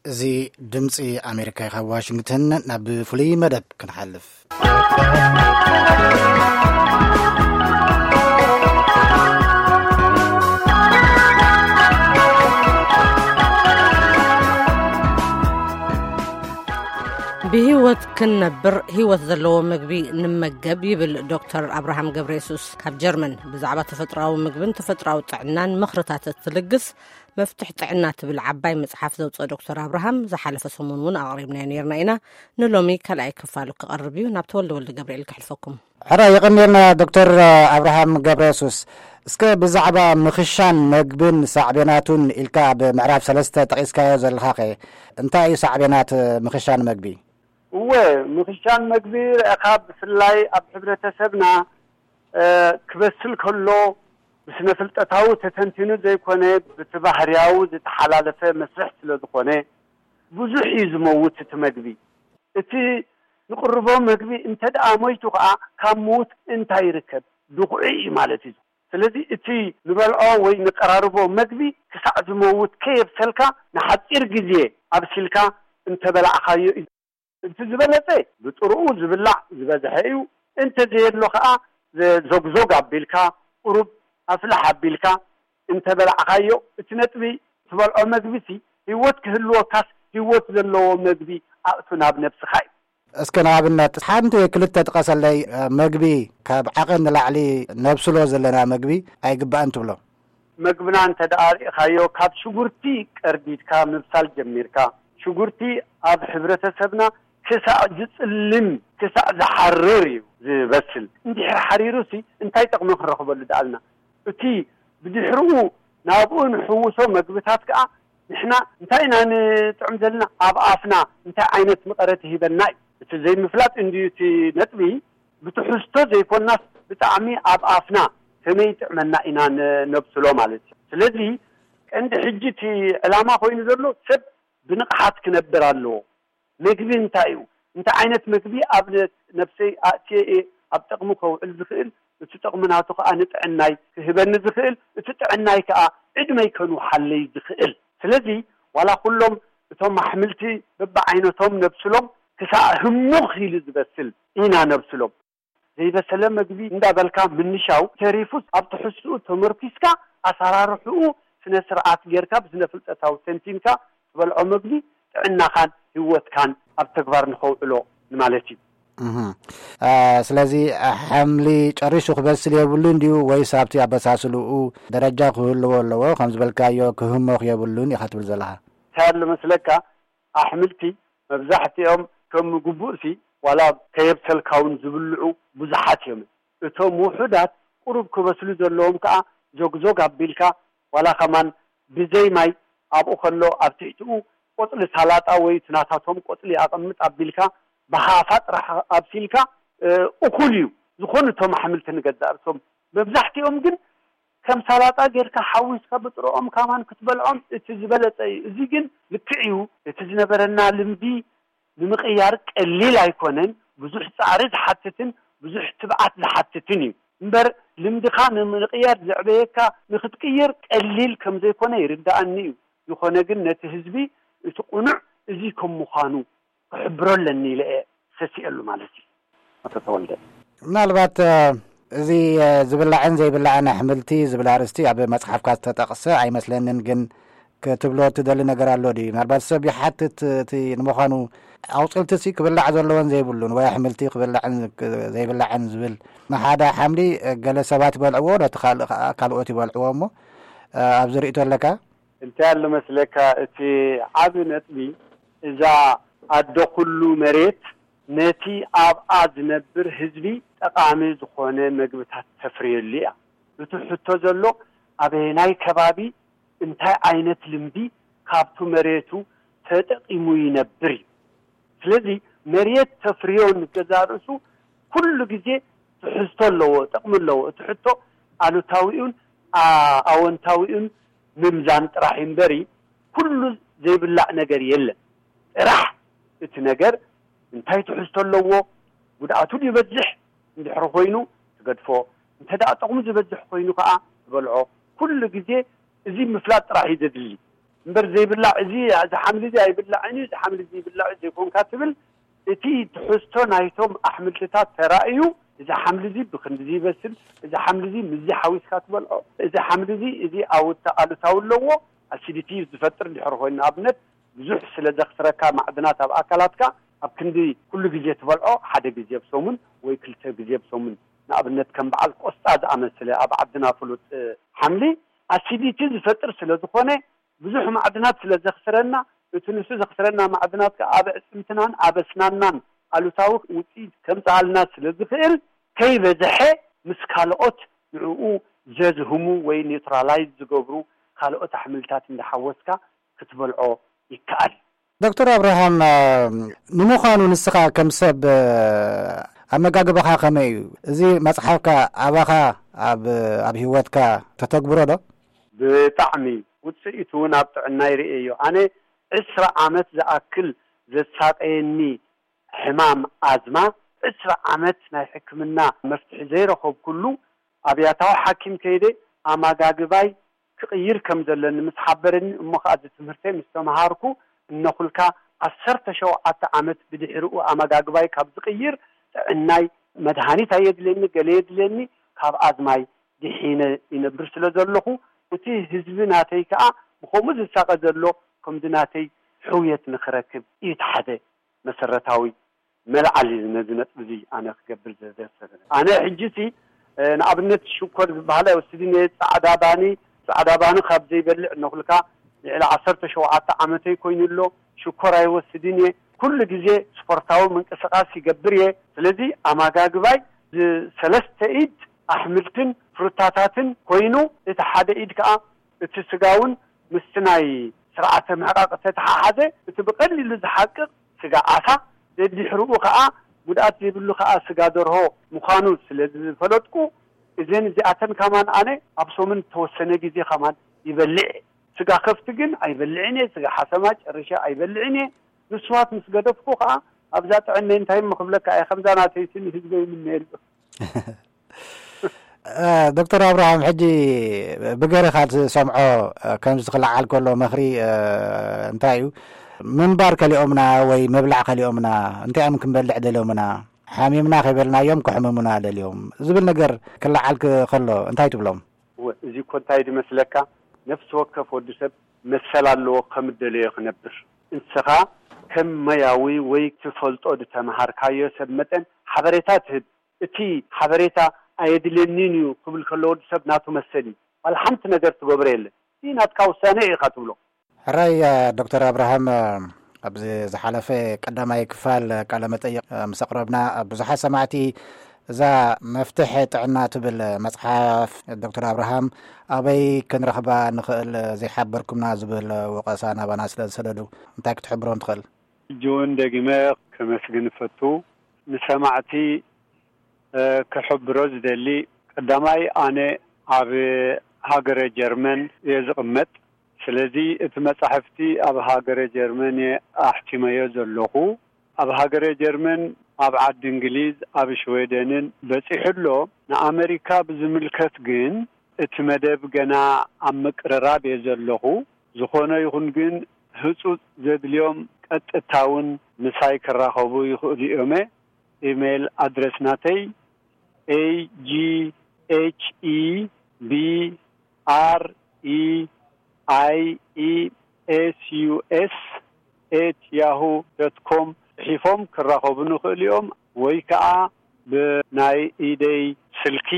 እዚ ድምፂ ኣሜሪካ እዩ። ካብ ዋሽንግተን ናብ ፍሉይ መደብ ክንሓልፍ። ብህይወት ክንነብር ህይወት ዘለዎ ምግቢ ንመገብ ይብል ዶክተር ኣብርሃም ገብረ የሱስ ካብ ጀርመን። ብዛዕባ ተፈጥሮኣዊ ምግብን ተፈጥሮኣዊ ጥዕናን ምኽርታት እትልግስ መፍትሕ ጥዕና ትብል ዓባይ መጽሓፍ ዘውፅአ ዶክተር ኣብርሃም ዝሓለፈ ሰሙን እውን ኣቕሪብናዮ ነይርና ኢና። ንሎሚ ካልኣይ ክፋሉ ክቐርብ እዩ። ናብ ተወልደ ወልደ ገብርኤል ከሕልፈኩም። ሕራ የቐንየልና ዶክተር ኣብርሃም ገብረ የሱስ። እስከ ብዛዕባ ምኽሻን መግብን ሳዕቤናቱን ኢልካ ኣብ ምዕራፍ ሰለስተ ጠቒስካዮ ዘለኻኸ እንታይ እዩ ሳዕቤናት ምኽሻን መግቢ? እወ፣ ምኽሻን መግቢ ረእኻ ብፍላይ ኣብ ሕብረተሰብና፣ እ፣ ክበስል ከሎ ብስነ ፍልጠታዊ ተተንቲኑ ዘይኮነ ብቲ ባህርያዊ ዝተሓላለፈ መስርሕ ስለ ዝኾነ ብዙሕ እዩ ዝመውት እቲ መግቢ። እቲ ንቕርቦ መግቢ እንተ ደኣ ሞይቱ ከኣ ካብ ምዉት እንታይ ይርከብ? ድኹዒ እዩ ማለት እዩ። ስለዚ እቲ ንበልዖ ወይ ንቀራርቦ መግቢ ክሳዕ ዝመውት ከየብሰልካ ንሓጺር ግዜ ኣብሲልካ እንተበላዕኻዮ እዩ። እቲ ዝበለጸ ብጥርኡ ዝብላዕ ዝበዝሐ እዩ። እንተ ዘየሎ ከኣ ዘ-፣ ዞግዞግ ኣቢልካ፣ ቁሩብ ኣፍልሕ ኣቢልካ እንተበላዕኻዮ፣ እቲ ነጥቢ ትበልዖ መግቢሲ ህይወት ክህልወካስ ህይወት ዘለዎ መግቢ ኣእቱ ናብ ነብስኻ እዩ። እስከ ንኣብነት ሓንቲ ክልተ ጥቀሰለይ፣ እ፣ መግቢ ካብ ዓቐን ንላዕሊ ነብስሎ ዘለና መግቢ ኣይግባእን ትብሎ? መግብና እንተ ደኣ ርኢኻዮ፣ ካብ ሽጉርቲ ቀርዲድካ ምብሳል ጀሚርካ፣ ሽጉርቲ ኣብ ሕብረተሰብና ክሳዕ ዝጽልም፣ ክሳዕ ዝሓርር እዩ ዝበስል። እንድሕር ሓሪሩሲ እንታይ ጥቕሚ ክንረኽበሉ ደኣልና? እቲ ብድሕርኡ ናብኡ ንሕውሶ መግብታት ከኣ ንሕና እንታይ ኢና ንጥዕም ዘለና? ኣብ ኣፍና እንታይ ዓይነት መቐረት ይህበና እዩ? እቲ ዘይምፍላጥ እንድዩ እቲ ነጥቢ። ብትሕዝቶ ዘይኮናስ ብጣዕሚ ኣብ ኣፍና ከመይ ይጥዕመና ኢና ን-፣ ነብስሎ ማለት እዩ። ስለዚ ቀንዲ ሕጂ እቲ ዕላማ ኮይኑ ዘሎ ሰብ ብንቕሓት ክነብር ኣለዎ። መግቢ እንታይ እዩ? እንታይ ዓይነት መግቢ ኣብ ነ-፣ ነብሰይ ኣእትየ እየ ኣብ ጥቕሚ ከውዕል ዝኽእል? እቲ ጥቕሚ ናቱ ከኣ ንጥዕናይ ክህበኒ ዝኽእል፣ እቲ ጥዕናይ ከኣ ዕድመይ ከንውሓለይ ዝኽእል። ስለዚ ዋላ ኩሎም እቶም ኣሕምልቲ በብዓይነቶም ነብስሎም ክሳዕ ህሙኽ ኢሉ ዝበስል ኢና ነብስሎም። ዘይበሰለ መግቢ እንዳበልካ ምንሻው ተሪፉስ ኣብ ትሕዝትኡ ተመርኪስካ ኣሰራርሕኡ ስነ ስርዓት ጌርካ ብስነ ፍልጠታዊ ተንቲንካ ትበልዖ መግቢ ጥዕናኻን ህይወትካን ኣብ ተግባር ንኸውዕሎ ንማለት እዩ። እህ። አ፣ ስለዚ ሓምሊ ጨሪሱ ክበስል የብሉን ድዩ ወይስ ኣብቲ ኣበሳስልኡ ደረጃ ክህልዎ ኣለዎ? ከም ዝበልካዮ ክህሞኽ የብሉን ኢኻ ትብል ዘለኻ? እንታይ ኣሎ መስለካ? ኣሕምልቲ መብዛሕትኦም ከም ግቡእሲ ዋላ ከየብሰልካ እውን ዝብልዑ ብዙሓት እዮም። እቶም ውሑዳት ቁሩብ ክበስሉ ዘለዎም ከኣ ዞግዞግ ኣቢልካ ዋላ ከማን ብዘይ ማይ ኣብኡ ከሎ ኣብ ትሕቲኡ ቆጽሊ ሳላጣ ወይ እቲ ናታቶም ቆጽሊ ኣቐምጥ ኣቢልካ ብሃፋ ጥራሕ ኣብሲልካ፣ እ፣ እኹል እዩ። ዝኾኑ እቶም ኣሕምልቲ ንገዛእ ርእሶም መብዛሕትኦም ግን ከም ሳላጣ ጌርካ ሓዊስካ ብጥረኦም ካማን ክትበልዖም እቲ ዝበለጸ እዩ። እዚ ግን ልክዕ እዩ። እቲ ዝነበረና ልምዲ ንምቕያር ቀሊል ኣይኮነን። ብዙሕ ጻዕሪ ዝሓትትን ብዙሕ ትብዓት ዝሓትትን እዩ። እምበር ልምድኻ ንምቕያር ዘዕበየካ ንኽትቅይር ቀሊል ከም ዘይኮነ ይርድኣኒ እዩ። ዝኾነ ግን ነቲ ህዝቢ እቲ ቁኑዕ እዚ ከም ምዃኑ ክሕብሮ ኣለኒ ኢለ እየ ሰሲኤሉ ማለት እዩ። ኣቶ ተወልደ። ምናልባት፣ እ፣ እዚ፣ እ፣ ዝብላዕን ዘይብላዕን ኣሕምልቲ ዝብል ኣርእስቲ ኣብ መጽሓፍካ ዝተጠቕሰ ኣይመስለንን፣ ግን ክትብሎ እትደሊ ነገር ኣሎ ድዩ? ምናልባት ሰብ ይሓትት፣ እቲ ንምዃኑ ኣቑጽልትሲ ክብላዕ ዘለዎን ዘይብሉን ወይ ኣሕምልቲ ክብላዕን ክ-፣ ዘይብላዕን ዝብል ንሓደ ሓምሊ፣ እ፣ ገለ ሰባት ይበልዕዎ፣ ነቲ ካልእ ከኣ ካልኦት ይበልዕዎ እሞ፣ እ፣ ኣብዚ ርእይቶ ኣለካ? እንታይ ኣሎ መስለካ፣ እቲ ዓቢ ነጥቢ፣ እዛ ኣደ ኩሉ መሬት ነቲ ኣብኣ ዝነብር ህዝቢ ጠቓሚ ዝኾነ መግብታት ተፍርየሉ እያ። እቲ ሕቶ ዘሎ፣ ኣበየናይ ከባቢ እንታይ ዓይነት ልምዲ ካብቱ መሬቱ ተጠቒሙ ይነብር እዩ። ስለዚ መሬት ተፍርዮ ንገዛእ ርእሱ ኩሉ ግዜ ትሕዝቶ ኣለዎ፣ ጥቕሚ ኣለዎ። እቲ ሕቶ ኣሉታዊኡን ኣ-፣ ኣወንታዊኡን ምምዛን ጥራሕ እዩ እምበሪ፣ ኩሉ ዘይብላዕ ነገር የለን። ጥራሕ እቲ ነገር እንታይ ትሕዝቶ ኣለዎ፣ ጉድኣቱ ድዩ ይበዝሕ፣ እንድሕሪ ኮይኑ ትገድፎ፣ እንተ ደኣ ጥቕሙ ዝበዝሕ ኮይኑ ከኣ ትበልዖ። ኩሉ ግዜ እዚ ምፍላጥ ጥራሕ እዩ ዘድሊ። እምበር ዘይብላዕ፣ እዚ እዚ ሓምሊ እዚ ኣይብላዕን እዩ፣ እዚ ሓምሊ እዚ ይብላዕ እዩ ዘይኮንካ ትብል። እቲ ትሕዝቶ ናይቶም ኣሕምልትታት ተራእዩ፣ እዚ ሓምሊ እዚ ብክንድዚ ይበስል፣ እዚ ሓምሊ እዚ ምስዚ ሓዊስካ ትበልዖ፣ እዚ ሓምሊ እዚ እዚ ኣውታ ኣሉታዊ ኣለዎ፣ ኣሲዲቲ ዝፈጥር ድሕሪ ኮይኑ፣ ንኣብነት ብዙሕ ስለ ዘኽስረካ ማዕድናት ኣብ ኣካላትካ፣ ኣብ ክንዲ ኩሉ ግዜ ትበልዖ፣ ሓደ ግዜ ኣብ ሰሙን ወይ ክልተ ግዜ ኣብ ሰሙን፣ ንኣብነት ከም በዓል ቆስጣ ዝኣመሰለ ኣብ ዓድና ፍሉጥ ሓምሊ ኣሲዲቲ ዝፈጥር ስለ ዝኾነ፣ ብዙሕ ማዕድናት ስለ ዘኽስረና፣ እቲ ንሱ ዘኽስረና ማዕድናት ከኣ ኣብ ኣዕጽምትናን ኣብ ኣስናናን ኣሉታዊ ውጽኢት ከምጽኣልና ስለ ዝኽእል፣ ከይበዝሐ ምስ ካልኦት ንዕኡ ዘዝህሙ ወይ ኒውትራላይዝ ዝገብሩ ካልኦት ኣሕምልታት እንዳሓወስካ ክትበልዖ ይከኣል። ዶክተር ኣብርሃም፣ ንምዃኑ ንስኻ ከም ሰብ ኣመጋግባኻ ከመይ እዩ? እዚ መጽሓፍካ ኣባኻ ኣብ ኣብ ህይወትካ ተተግብሮ ዶ? ብጣዕሚ ውጽኢቱ እውን ኣብ ጥዕናይ ርእየዮ። ኣነ ዕስራ ዓመት ዝኣክል ዘሳቀየኒ ሕማም ኣዝማ፣ ዕስራ ዓመት ናይ ሕክምና መፍትሒ ዘይረኸብኩሉ፣ ኣብ ያታዊ ሓኪም ከይደ ኣመጋግባይ ክቕይር ከም ዘለኒ ምስ ሓበረኒ፣ እሞ ኸኣ እዚ ትምህርተይ ምስ ተምሃርኩ፣ እነኹልካ ዓሰርተ ሸውዓተ ዓመት ብድሕሪኡ ኣመጋግባይ ካብ ዝቕይር፣ ጥዕናይ፣ መድሃኒት ኣየድልየኒ፣ ገለ የድልየኒ፣ ካብ ኣዝማይ ድሒነ ይነብር ስለ ዘለኹ፣ እቲ ህዝቢ ናተይ ከኣ ብኸምኡ ዝሳቐ ዘሎ ከምዚ ናተይ ሕውየት ንኽረክብ እዩ እቲ ሓደ መሰረታዊ መልዓሊ ነዚ ነጥቢ እዚ ኣነ ክገብር ዘዘሰበ። ኣነ ሕጂ ሲ፣ እ፣ ንኣብነት ሽኮር ዝበሃል ኣይወስድን እየ። ጻዕዳ ባኒ፣ ጻዕዳ ባኒ ካብ ዘይበልዕ እነኹልካ ልዕሊ ዓሰርተ ሸውዓተ ዓመተይ ኮይኑ ኣሎ። ሽኮር ኣይወስድን እየ። ኩሉ ግዜ ስፖርታዊ ምንቅስቃስ ይገብር እየ። ስለዚ ኣመጋግባይ ዝሰለስተ ኢድ ኣሕምልትን ፍሩታታትን ኮይኑ፣ እቲ ሓደ ኢድ ከኣ እቲ ስጋ እውን ምስቲ ናይ ስርዓተ ምሕቃቕ ዝተተሓሓዘ፣ እቲ ብቐሊሉ ዝሓቅቕ ስጋ ዓሳ፣ ደድሕሪኡ ከኣ ጉድኣት ዘይብሉ ከኣ ስጋ ደርሆ ምዃኑ ስለ ዝፈለጥኩ፣ እዘን እዚኣተን ከማን ኣነ ኣብ ሰሙን ዝተወሰነ ግዜ ከማን ይበልዕ እየ። ስጋ ከፍቲ ግን ኣይበልዕን እየ፣ ስጋ ሓሰማ ጨርሸ ኣይበልዕን እየ። ንስዋት ምስ ገደፍኩ ከኣ ኣብዛ ጥዕነይ እንታይ እሞ ክብለካ እየ፣ ከምዛ ናተይሲ ንህዝበይ ይምነየሉ። እ፣ ዶክተር ኣብርሃም፣ ሕጂ ብገርኻ ዝሰምዖ፣ እ፣ ከምዚ ክለዓል ከሎ መኽሪ፣ እ፣ እንታይ እዩ? ምንባር ከሊኦምና ወይ ምብላዕ ከሊኦምና፣ እንታይ እዮም ክንበልዕ ደልዮምና? ሓሚምና ከይበልናዮም ከሕምሙና ደልዮም ዝብል ነገር ክለዓል ክ-፣ ከሎ እንታይ ትብሎም? እወ፣ እዚ እኮ እንታይ ድመስለካ? ነፍሲ ወከፍ ወዲ ሰብ መሰል ኣለዎ ከም ደለዮ ክነብር። ንስኻ ከም መያዊ ወይ ትፈልጦ ድተምሃርካዮ ሰብ መጠን ሓበሬታ ትህብ። እቲ ሓበሬታ ኣየድልየኒን እዩ ክብል ከሎ ወዲ ሰብ ናቱ መሰል እዩ። ዋላ ሓንቲ ነገር ትገብሮ የለን። እዚ ናትካ ውሳኔ እዩ ኢኻ ትብሎ። ሕራይ፣ ዶክተር ኣብርሃም፣ ኣብዚ ዝሓለፈ ቀዳማይ ክፋል ቃለ መጠይቕ ምስ ኣቕረብና፣ ብዙሓት ሰማዕቲ እዛ መፍትሕ ጥዕና ትብል መጽሓፍ ዶክተር ኣብርሃም ኣበይ ክንረኽባ ንኽእል ዘይሓበርኩምና ዝብል ወቐሳ ናባና ስለ ዝሰደዱ እንታይ ክትሕብሮም ትኽእል? ሕጂ እውን ደጊመ ከመስግን እፈቱ። ንሰማዕቲ፣ እ፣ ክሕብሮ ዝደሊ፣ ቀዳማይ ኣነ ኣብ ሃገረ ጀርመን እየ ዝቕመጥ። ስለዚ እቲ መጻሕፍቲ ኣብ ሃገረ ጀርመን እየ ኣሕቲመዮ ዘለኹ። ኣብ ሃገረ ጀርመን፣ ኣብ ዓዲ እንግሊዝ፣ ኣብ ሽወደንን በጺሑ ኣሎ። ንኣመሪካ ብዝምልከት ግን እቲ መደብ ገና ኣብ ምቅርራብ እየ ዘለኹ። ዝኾነ ይኹን ግን ህጹጽ ዘድልዮም ቀጥታ እውን ምሳይ ክራኸቡ ይኽእሉ እዮም። ኢሜይል ኣድረስ ናተይ ኤ ጂ ኤች ኢ ቢ ኣር ኢ ኣይ ኢ ኤስ ዩ ኤስ ኤት ያሁ ዶት ኮም ጽሒፎም ክራኸቡኒ ይኽእሉ እዮም፣ ወይ ከኣ ብናይ ኢደይ ስልኪ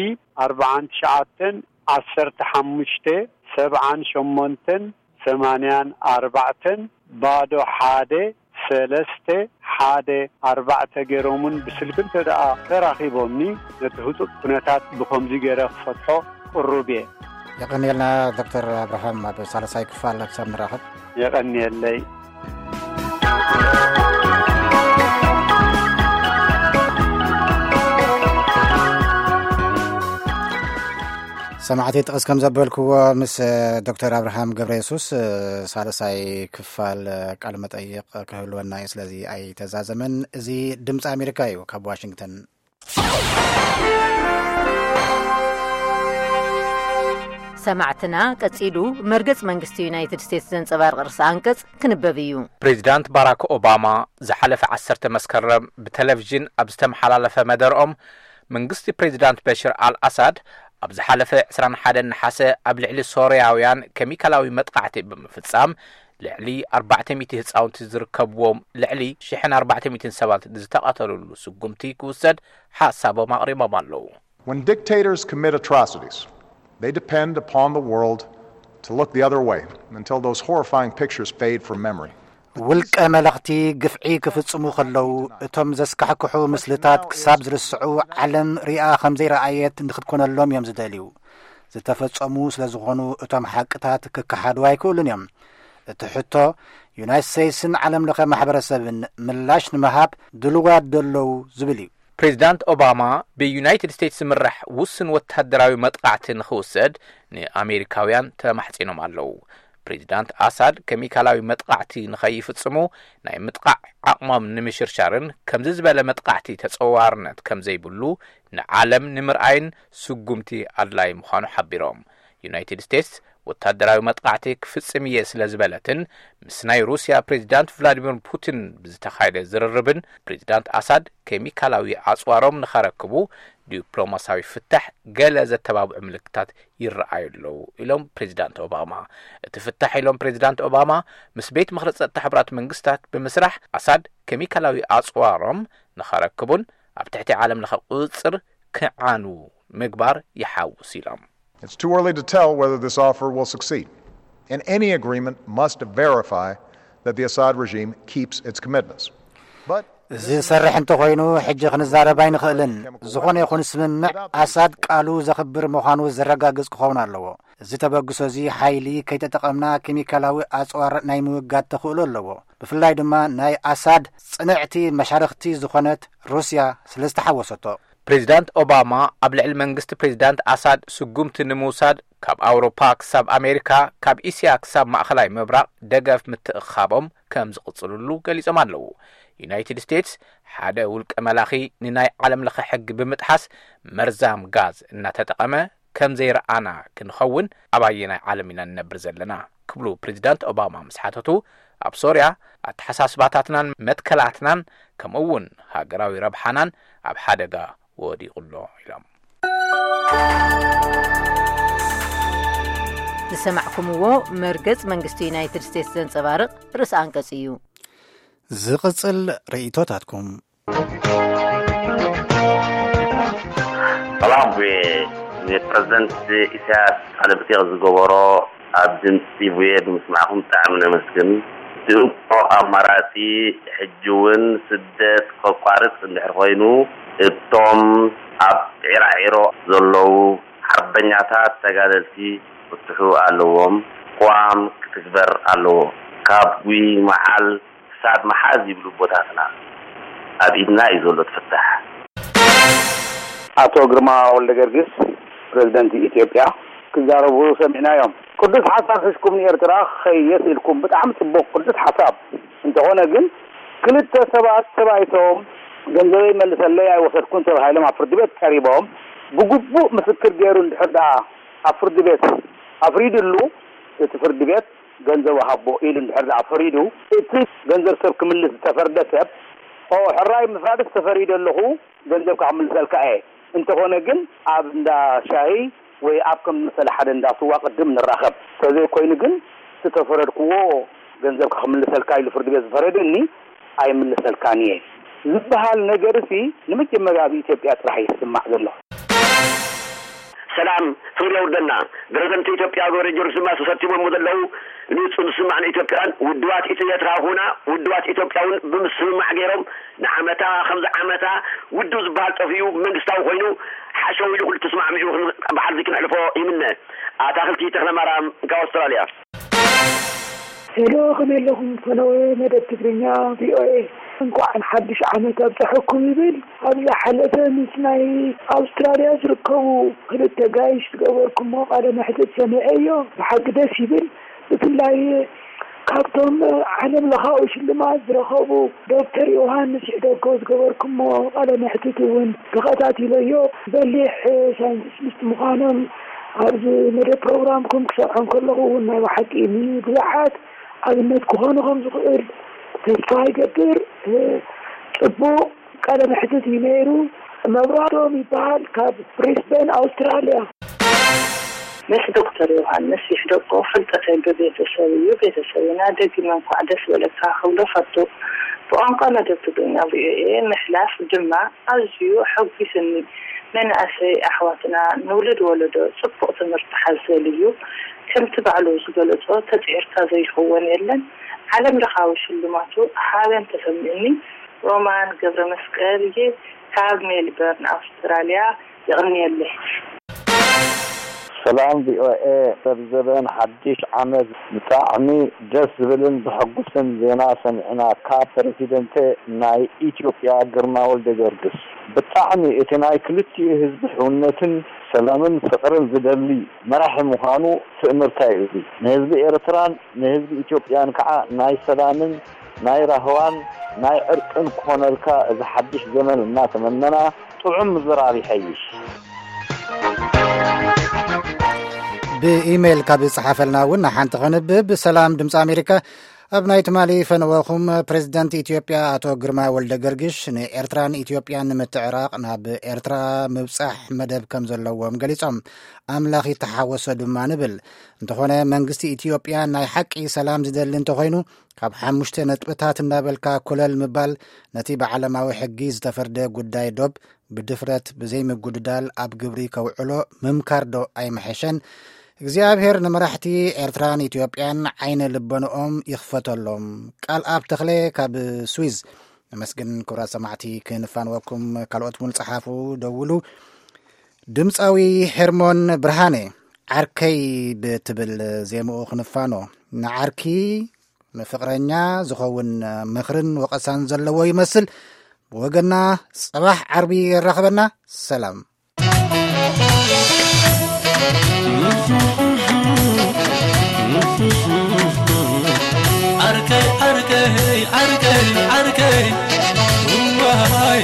ኣርብዓን ትሽዓተን ዓሰርተ ሓሙሽተ ሰብዓን ሸሞንተን ሰማንያን ኣርባዕተን ባዶ ሓደ ሰለስተ ሓደ ኣርባዕተ ገይሮምን ብስልኪ እንተ ደኣ ተራኺቦምኒ፣ ነቲ ህጹጽ ኩነታት ብኸምዚ ገይረ ክፈትሖ ቅሩብ እየ። የቐንየልና ዶክተር ኣብርሃም፣ ኣብ ሳልሳይ ክፋል ክሳብ ንራኸብ። የቐንየለይ። ሰማዕቲ ጥቕስ ከም ዘበልክዎ ምስ ዶክተር ኣብርሃም ገብረ የሱስ ሳልሳይ ክፋል ቃለ መጠይቕ ክህልወና እዩ። ስለዚ ኣይተዛዘመን። እዚ ድምፂ ኣሜሪካ እዩ ካብ ዋሽንግተን። ሰማዕትና፣ ቀጺሉ መርገጽ መንግስቲ ዩናይትድ ስቴትስ ዘንጸባርቕ ርእሰ ኣንቀጽ ክንበብ እዩ። ፕሬዚዳንት ባራክ ኦባማ ዝሓለፈ ዓሰርተ መስከረም ብቴሌቪዥን ኣብ ዝተመሓላለፈ መደርኦም፣ መንግስቲ ፕሬዚዳንት በሽር ኣል ኣሳድ ኣብ ዝሓለፈ ዕስራን ሓደን ነሓሰ ኣብ ልዕሊ ሶርያውያን ኬሚካላዊ መጥቃዕቲ ብምፍጻም ልዕሊ ኣርባዕተ ሚእቲ ህጻውንቲ ዝርከብዎም ልዕሊ ሽሕን ኣርባዕተ ሚእትን ሰባት ዝተቐተሉሉ ስጉምቲ ክውሰድ ሓሳቦም ኣቕሪቦም ኣለዉ። When dictators commit atrocities, they depend upon the world to look the other way until those horrifying pictures fade from memory. ውልቀ መለኽቲ ግፍዒ ክፍጽሙ ከለዉ፣ እቶም ዘስካሕክሑ ምስልታት ክሳብ ዝርስዑ፣ ዓለም ሪኣ ከም ዘይረኣየት ንክትኮነሎም እዮም ዝደልዩ። ዝተፈጸሙ ስለ ዝኾኑ፣ እቶም ሓቅታት ክከሓዱ ኣይክእሉን እዮም። እቲ ሕቶ፣ ዩናይትድ ስቴትስን ዓለም ለኸ ማሕበረሰብን ምላሽ ንምሃብ ድልዋት ደለዉ ዝብል እዩ። ፕሬዚዳንት ኦባማ፣ ብዩናይትድ ስቴትስ ዝምራሕ ውስን ወታደራዊ መጥቃዕቲ ንኽውሰድ ንኣሜሪካውያን ተማሕጺኖም ኣለዉ። ፕሬዚዳንት ኣሳድ ኬሚካላዊ መጥቃዕቲ ንኸይፍጽሙ፣ ናይ ምጥቃዕ ዓቕሞም ንምሽርሻርን ከምዚ ዝበለ መጥቃዕቲ ተጸዋርነት ከም ዘይብሉ ንዓለም ንምርኣይን ስጉምቲ ኣድላይ ምዃኑ ሓቢሮም። ዩናይትድ ስቴትስ ወታደራዊ መጥቃዕቲ ክፍጽም እየ ስለ ዝበለትን ምስ ናይ ሩስያ ፕሬዚዳንት ቭላዲሚር ፑቲን ብዝተኻየደ ዝርርብን፣ ፕሬዚዳንት ኣሳድ ኬሚካላዊ ኣጽዋሮም ንኸረክቡ ዲፕሎማሳዊ ፍታሕ ገለ ዘተባብዑ ምልክታት ይረኣዩ ኣለዉ ኢሎም ፕሬዚዳንት ኦባማ። እቲ ፍታሕ ኢሎም ፕሬዚዳንት ኦባማ፣ ምስ ቤት ምኽሪ ጸጥታ ሕቡራት መንግስታት ብምስራሕ ኣሳድ ኬሚካላዊ ኣጽዋሮም ንኸረክቡን ኣብ ትሕቲ ዓለም ለኸ ቁጽጽር ክዓኑ ምግባር ይሓውስ ኢሎም። It's too early to tell whether this offer will succeed. And any agreement must verify that the Assad regime keeps its commitments. But እዚ ዝሰርሕ እንተኾይኑ፣ ሕጂ ክንዛረብ ኣይንኽእልን። ዝኾነ ይኹን ስምምዕ፣ ኣሳድ ቃሉ ዘኽብር ምዃኑ ዘረጋግጽ ክኸውን ኣለዎ። እዚ ተበግሶ እዚ ሓይሊ ከይተጠቐምና፣ ኬሚካላዊ ኣጽዋር ናይ ምውጋድ ተኽእሎ ኣለዎ። ብፍላይ ድማ ናይ ኣሳድ ጽንዕቲ መሻርኽቲ ዝኾነት ሩስያ ስለ ዝተሓወሰቶ። ፕሬዚዳንት ኦባማ ኣብ ልዕሊ መንግስቲ ፕሬዚዳንት ኣሳድ ስጉምቲ ንምውሳድ፣ ካብ ኣውሮፓ ክሳብ ኣሜሪካ፣ ካብ እስያ ክሳብ ማእኸላይ ምብራቕ ደገፍ ምትእኻቦም ከም ዝቕጽልሉ ገሊጾም ኣለዉ። ዩናይትድ ስቴትስ፣ ሓደ ውልቀ መላኺ ንናይ ዓለም ለኸ ሕጊ ብምጥሓስ መርዛም ጋዝ እናተጠቐመ ከም ዘይረኣና ክንኸውን ኣብ ኣየናይ ዓለም ኢና ንነብር ዘለና? ክብሉ ፕሬዚዳንት ኦባማ ምስ ሓተቱ፣ ኣብ ሶርያ ኣተሓሳስባታትናን መትከላትናን ከምኡ እውን ሃገራዊ ረብሓናን ኣብ ሓደጋ ወዲቑ ኣሎ ኢሎም። ዝሰማዕኩምዎ መርገጽ መንግስቲ ዩናይትድ ስቴትስ ዘንጸባርቕ ርእሰ ኣንቀጽ እዩ። ዝቕጽል ርእይቶታትኩም። ሰላም፣ ፕሬዚደንት ኢሳያስ ቃለ መጠይቕ ዝገበሮ ኣብ ድምፂ ቪኦኤ ብምስማዕኩም ብጣዕሚ ነመስግን። እቲ እንኮ ኣማራፂ ሕጂ እውን ስደት ከቋርፅ እንድሕር ኮይኑ፣ እቶም ኣብ ዒራዒሮ ዘለዉ ሓርበኛታት ተጋደልቲ ክፍትሑ ኣለዎም። ቅዋም ክትግበር ኣለዎ። ካብ ጉይመዓል ክሳብ መሓዝ ይብሉ ኣቦታትና። ኣብ ኢድና እዩ ዘሎ እቲ ፍታሕ። ኣቶ ግርማ ወልደገርግስ፣ ፕረዚደንት ኢትዮጵያ፣ ክዛረቡ ሰሚዕናዮም። ቅዱስ ሓሳብ ሒዝኩም ንኤርትራ ክኸይድ ኢልኩም፣ ብጣዕሚ ጽቡቕ ቅዱስ ሓሳብ። እንተኾነ ግን ክልተ ሰባት ተባይቶም ገንዘበይ መልሰለይ ኣይወሰድኩን ተባሂሎም ኣብ ፍርዲ ቤት ቀሪቦም፣ ብግቡእ ምስክር ገይሩ እንድሕር ደኣ ኣብ ፍርዲ ቤት ኣፍሪድሉ፣ እቲ ፍርዲ ቤት ገንዘቡ ሃቦ ኢሉ እንድሕር ደኣ ፈሪዱ፣ እቲ ገንዘብ ሰብ ክምልስ ዝተፈርደ ሰብ፣ ኦ ሕራይ ምፍራድስ ተፈሪደ ኣለኹ፣ ገንዘብካ ክምልሰልካ እየ፣ እንተኾነ ግን ኣብ እንዳ ሻሂ ወይ ኣብ ከም ዝመሰለ ሓደ እንዳ ስዋ ቅድም ንራኸብ፣ ተዘይኮይኑ ግን እቲ ተፈረድክዎ ገንዘብካ ክምልሰልካ ኢሉ ፍርዲ ቤት ዝፈረደኒ ኣይምልሰልካን እየ ዝበሃል ነገርሲ ንመጀመርያ ኣብ ኢትዮጵያ ጥራሕ እዩ ዝስማዕ ዘሎ። ሰላም ፍቕሪ የውርደልና። ፕረዚደንት ኢትዮጵያ ገብረ ጊዮርጊስ ድማ ተሰቲሞም ዘለዉ ንውፅእ ዝስማዕ ንኢትዮጵያን ውድባት ኢትዮ ኤርትራ ኹና ውድባት ኢትዮጵያ እውን ብምስምማዕ ገይሮም ንዓመታ ከምዚ ዓመታ ውድብ ዝበሃል ጠፊኡ መንግስታዊ ኮይኑ ሓሸው ኢሉ ኩሉ ተስማዕሚዑ በዓል እዚ ክነሕልፎ ይምነ። ኣታኽልቲ ተኽለማርያም ካብ ኣውስትራልያ። ሄሎ ከመይ ኣለኹም ፈነወ መደብ ትግርኛ ቪኦኤ። እንኳዕ ንሓድሽ ዓመት ኣብፀሐኩም ይብል። ኣብ ዝሓለፈ ምስ ናይ ኣውስትራልያ ዝርከቡ ክልተ ጋይሽ ዝገበርኩሞ ቃለ መሕትት ሰሚዐዮ። ብሓቂ ደስ ይብል። ብፍላይ ካብቶም ዓለም ለኻዊ ሽልማት ዝረኸቡ ዶክተር ዮሃንስ ይሕደጎ ዝገበርኩሞ ቃለ መሕትት እውን ተኸታቲለዮ። በሊሕ ሳይንቲስት ምዃኖም ኣብዚ መደብ ፕሮግራምኩም ክሰምዖም ከለኹ እውን ናይ ብሓቂ ንብዙሓት ኣብነት ክኾኑ ከም ዝኽእል ተስፋ ይገብር። ጽቡቕ ቃለ መሕትት እዩ ነይሩ። መብራህቶም ይበሃል፣ ካብ ብሪስበን ኣውስትራልያ። ምስ ዶክተር ዮሃንስ ይሕደጎ ፍልጠተይ ብቤተሰብ እዩ። ቤተሰብና ደጊመ እንኳዕ ደስ በለካ ክብሎ ፈቱ። ብቋንቋ መደብ ትግርኛ ቪኦኤ ምሕላፍ ድማ ኣዝዩ ኣሐጒስኒ። መናእሰይ ኣሕዋትና ንውሉድ ወለዶ ጽቡቕ ትምህርቲ ሓዘል እዩ። ከምቲ ባዕሉ ዝገለጾ ተጽዒርካ ዘይኸውን የለን። ዓለም ለኻዊ ሽልማቱ ሓበን ተሰሚዑኒ። ሮማን ገብረመስቀል እየ ካብ ሜልበርን ኣውስትራልያ። የቐንየለይ። ሰላም ቪኦኤ ሰብ ዘበን ሓድሽ ዓመት ብጣዕሚ ደስ ዝብልን ዘሐጉስን ዜና ሰሚዕና ካብ ፕረሲደንተ ናይ ኢትዮጵያ ግርማ ወልደገርግስ። ብጣዕሚ እቲ ናይ ክልቲኡ ህዝቢ ሕውነትን ሰላምን ፍቕርን ዝደሊ መራሒ ምዃኑ ትእምርታ እዩ። እዚ ንህዝቢ ኤርትራን ንህዝቢ ኢትዮጵያን ከዓ ናይ ሰላምን ናይ ራህዋን ናይ ዕርቅን ክኾነልካ እዚ ሓድሽ ዘመን እናተመነና ጥዑም ምዝራብ ይሐይሽ። ብኢሜይል ካብ ዝጸሓፈልና እውን ንሓንቲ ከንብብ። ሰላም ድምፂ ኣሜሪካ፣ ኣብ ናይ ትማሊ ፈነወኹም ፕሬዚደንት ኢትዮጵያ ኣቶ ግርማ ወልደ ገርግሽ ንኤርትራን ኢትዮጵያን ንምትዕራቕ ናብ ኤርትራ ምብጻሕ መደብ ከም ዘለዎም ገሊጾም። ኣምላኽ ይተሓወሶ ድማ ንብል። እንተኾነ መንግስቲ ኢትዮጵያ ናይ ሓቂ ሰላም ዝደሊ እንተኾይኑ ካብ ሓሙሽተ ነጥብታት እናበልካ ኮለል ምባል ነቲ ብዓለማዊ ሕጊ ዝተፈርደ ጉዳይ ዶብ ብድፍረት ብዘይምጉድዳል ኣብ ግብሪ ከውዕሎ ምምካር ዶ ኣይምሐሸን? እግዚኣብሔር ንመራሕቲ ኤርትራን ኢትዮጵያን ዓይነ ልቦንኦም ይኽፈተሎም። ቃል ኣብ ተኽለ ካብ ስዊዝ። ነመስግን ክቡራት ሰማዕቲ። ክንፋንወኩም ካልኦት እውን ጸሓፉ፣ ደውሉ። ድምፃዊ ሄርሞን ብርሃነ ዓርከይ ብትብል ዜምኡ ክንፋኖ። ንዓርኪ ንፍቕረኛ ዝኸውን ምኽርን ወቐሳን ዘለዎ ይመስል። ብወገና ጽባሕ ዓርቢ የራኽበና። ሰላም። ዓርከይ ዓርከይ ዓርከይ ዓርከይ ዋይ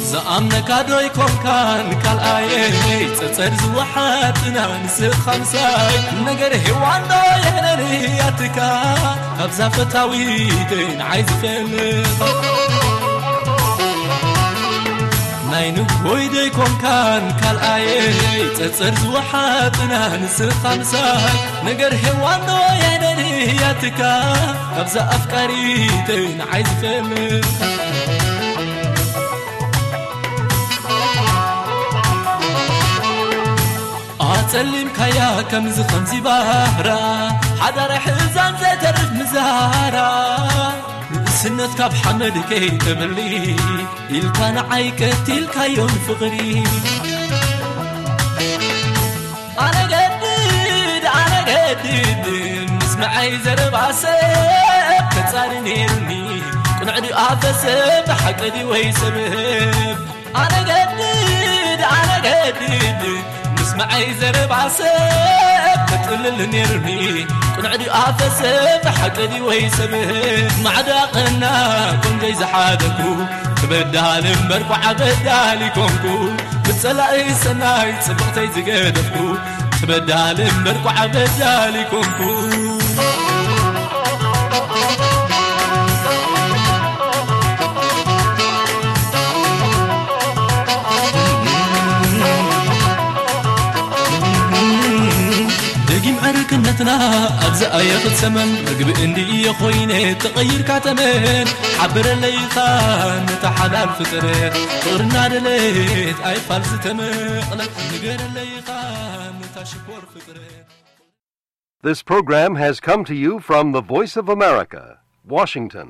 ዝኣምነካ ዶ ይኮንካን ካልኣየይ ጸጸር ዝወሓጥና ንስኻ ምሳይ ነገር ሄዋን ዶ የነንያትካ ካብዛ ፈታዊተይ ንዓይ ዝፈልጥ ናይ ንጎይ ዶ ይኮንካን ካልኣየይ ጸጸር ዝወሓጥና ንስኻ ምሳይ ነገር ሄዋን ዶ የነንያትካ ካብዛ ኣፍቃሪተይ ንዓይ ዝፈልጥ ኣጸሊምካያ ከምዚ ከምዚ ባህራ ሓዳር ሕዛን ዘይተርፍ ምዛራ ንእስነት ካብ ሓመድ ከይተብሊ ኢልካ ንዓይ ቀቲልካዮን ፍቕሪ ኣነ ገድድ ኣነ ገድድ ምስምዐይ ዘረባ ሰብ ተጻሪ ነይሩኒ ቅኑዕ ድኣ ፈሰብ ሓቂ ድዩ ወይ ሰብህብ ኣነ ገድድ ኣነ ገድድ ምስምዐይ ዘረባ ሰብ ተጥልል ነይሩኒ ቅኑዕ ድዩ ኣፈሰብ ሓቂ ድዩ ወይ ሰብህብ ማዕዳ ቀና ቆንጆይ ዝሓደኩ ክበዳል እምበር ኳዓ በዳል ይኮንኩ ብጸላኢ ሰናይ ጽብቕተይ ዝገደፍኩ ትበዳል እምበር ኳዓ በዳል ይኮንኩ ደጊም ዕርክነትና ኣብዚ ኣየ ክትሰመን ምግቢ እንድየ ኮይነ ተቐይርካ ተመን ሓብረለይኻ ነታ ሓላል ፍጥረት ፍቕርና ደለት ኣይፋል ዝተመቕለት ንገረለይኻ ነታ ሽኮር ፍጥረት This program has come to you from the Voice of America, Washington.